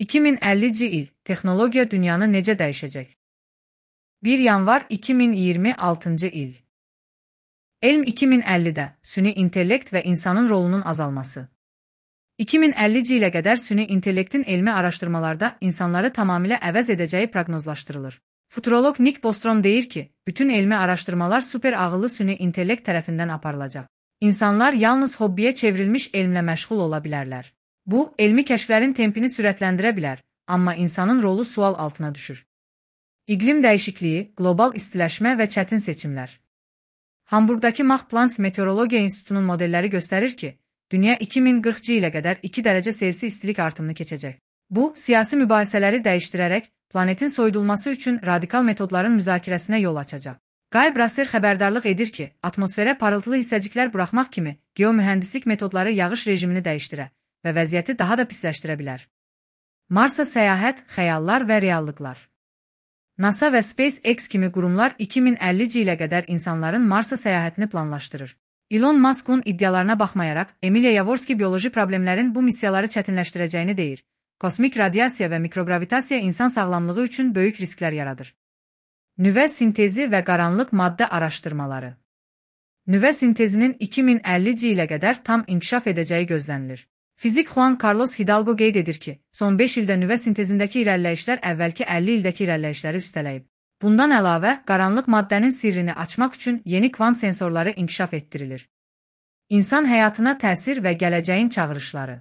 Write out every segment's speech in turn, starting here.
2050-ci il texnologiya dünyanı necə dəyişəcək? 1 yanvar 2026-cı il. Elm 2050-də süni intellekt və insanın rolunun azalması. 2050-ci ilə qədər süni intellektin elmi araşdırmalarda insanları tamamilə əvəz edəcəyi proqnozlaşdırılır. Futurolog Nick Bostrom deyir ki, bütün elmi araşdırmalar super ağıllı süni intellekt tərəfindən aparılacaq. İnsanlar yalnız hobbiyə çevrilmiş elmlə məşğul ola bilərlər. Bu, elmi kəşflərin tempini sürətləndirə bilər, amma insanın rolu sual altına düşür. İqlim dəyişikliyi, qlobal istiləşmə və çətin seçimlər. Hamburqdakı Max Planck Meteorologiya İnstitutunun modelləri göstərir ki, dünya 2040-cı ilə qədər 2 dərəcə Selsi istilik artımını keçəcək. Bu, siyasi mübahisələri dəyişdirərək, planetin soyudulması üçün radikal metodların müzakirəsinə yol açacaq. Guy Brasser xəbərdarlıq edir ki, atmosferə parıltılı hissəciklər buraxmaq kimi geomühəndislik metodları yağış rejimini dəyişdirə və vəziyyəti daha da pisləşdirə bilər. Marsa səyahət, xəyallar və reallıqlar. NASA və SpaceX kimi qurumlar 2050-ci ilə qədər insanların Marsa səyahətini planlaşdırır. Elon Musk'un iddialarına baxmayaraq, Emilia Yavorski bioloji problemlərin bu missiyaları çətinləşdirəcəyini deyir. Kosmik radiasiya və mikrogravitasiya insan sağlamlığı üçün böyük risklər yaradır. Nüvə sintezi və qaranlıq maddə araşdırmaları. Nüvə sintezinin 2050-ci ilə qədər tam inkişaf edəcəyi gözlənilir. Fizik Juan Carlos Hidalgo qeyd edir ki, son 5 ildə nüvə sintezindəki irəliləyişlər əvvəlki 50 ildəki irəliləyişləri üstələyib. Bundan əlavə, qaranlıq maddənin sirrini açmaq üçün yeni kvant sensorları inkişaf etdirilir. İnsan həyatına təsir və gələcəyin çağırışları.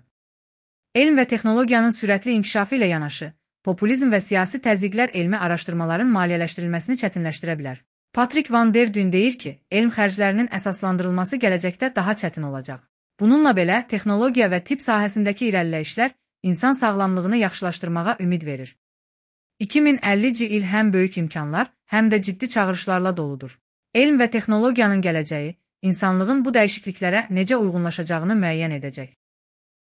Elm və texnologiyanın sürətli inkişafı ilə yanaşı, populizm və siyasi təzyiqlər elmi araşdırmaların maliyyələşdirilməsini çətinləşdirə bilər. Patrick Van der Dün deyir ki, elm xərclərinin əsaslandırılması gələcəkdə daha çətin olacaq. Bununla belə, texnologiya və tibb sahəsindəki irəliləyişlər insan sağlamlığını yaxşılaşdırmağa ümid verir. 2050-ci il həm böyük imkanlar, həm də ciddi çağırışlarla doludur. Elm və texnologiyanın gələcəyi, insanlığın bu dəyişikliklərə necə uyğunlaşacağını müəyyən edəcək.